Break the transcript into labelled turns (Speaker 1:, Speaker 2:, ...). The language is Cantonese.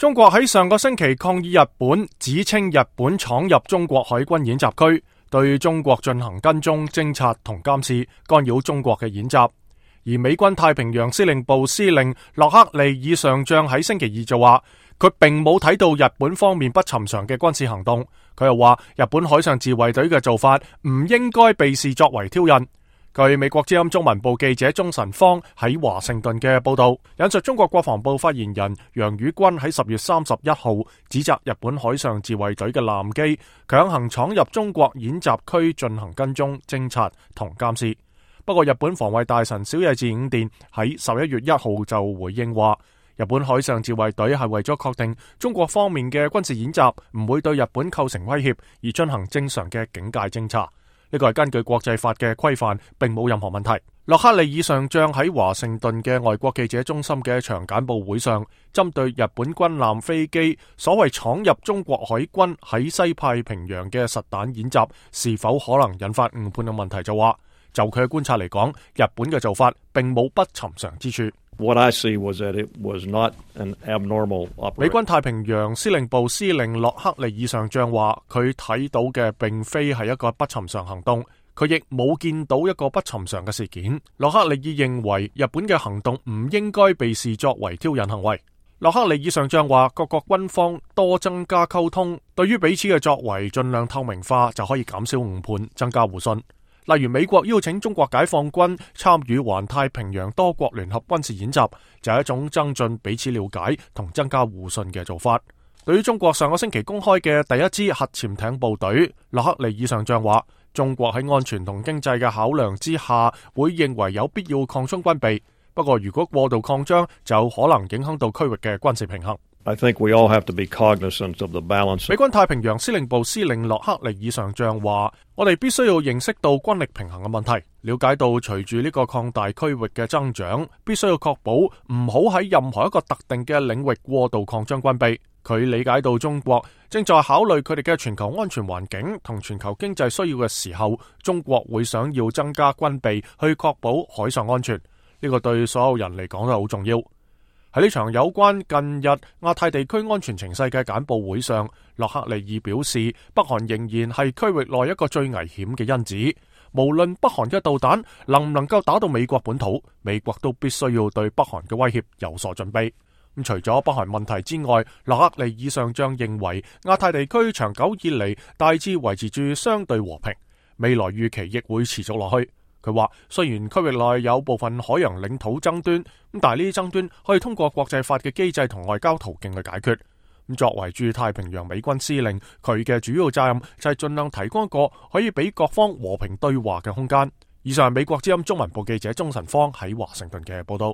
Speaker 1: 中國喺上個星期抗議日本，指稱日本闖入中國海軍演習區，對中國進行跟蹤、偵察同監視，干擾中國嘅演習。而美軍太平洋司令部司令洛克利爾上將喺星期二就話，佢並冇睇到日本方面不尋常嘅軍事行動。佢又話，日本海上自衛隊嘅做法唔應該被視作為挑釁。據美國之音中文部記者鍾晨芳喺華盛頓嘅報道，引述中國國防部發言人楊宇軍喺10月31號指責日本海上自衛隊嘅艦機強行闖入中國演習區進行跟蹤、偵察同監視。不過日本防衛大臣小野寺五殿喺11月1號就回應話，日本海上自衛隊係為咗確定中國方面嘅軍事演習唔會對日本構成威脅而進行正常嘅警戒偵察。呢個係根據國際法嘅規範，並冇任何問題。洛克利爾上將喺華盛頓嘅外國記者中心嘅一場簡報會上，針對日本軍艦飛機所謂闖入中國海軍喺西太平洋嘅實彈演習是否可能引發誤判嘅問題就話，就佢嘅觀察嚟講，日本嘅做法並冇不尋常之處。
Speaker 2: What I see was that it was not an abnormal operation.
Speaker 1: 美軍太平洋司令部司令洛克利爾上將話，佢睇到嘅並非係一個不尋常行動，佢亦冇見到一個不尋常嘅事件。洛克利爾認為日本嘅行動唔應該被視作為挑釁行為。洛克利爾上將話，各國軍方多增加溝通，對於彼此嘅作為盡量透明化，就可以減少誤判，增加互信。例如美國邀請中國解放軍參與環太平洋多國聯合軍事演習，就係一種增進彼此了解同增加互信嘅做法。對於中國上個星期公開嘅第一支核潛艇部隊，洛克利爾上將話，中國喺安全同經濟嘅考量之下，會認為有必要擴充軍備。不過如果過度擴張，就可能影響到區域嘅軍事平衡。
Speaker 2: I think we all have to be cognizant of the balance.
Speaker 1: 美軍太平洋司令部司令洛克利爾上將話，我哋必須要認識到軍力平衡嘅問題，了解到隨住呢個擴大區域嘅增長，必須要確保唔好喺任何一個特定嘅領域過度擴張軍備。佢理解到中國正在考慮佢哋嘅全球安全環境同全球經濟需要嘅時候，中國會想要增加軍備去確保海上安全。呢個對所有人嚟講都好重要。喺呢場有關近日亞太地區安全情勢嘅簡報會上，洛克利爾表示，北韓仍然係區域內一個最危險嘅因子。無論北韓嘅導彈能唔能夠打到美國本土，美國都必須要對北韓嘅威脅有所準備。除咗北韓問題之外，洛克利爾上將認為亞太地區長久以嚟大致維持住相對和平，未來預期亦會持續落去。佢話，雖然區域內有部分海洋領土爭端，但係呢啲爭端可以通過國際法嘅機制同外交途徑去解決。作為駐太平洋美軍司令，佢嘅主要責任就係盡量提供一個可以俾各方和平對話嘅空間。以上係美國之音中文部記者鍾晨芳喺華盛頓嘅報道。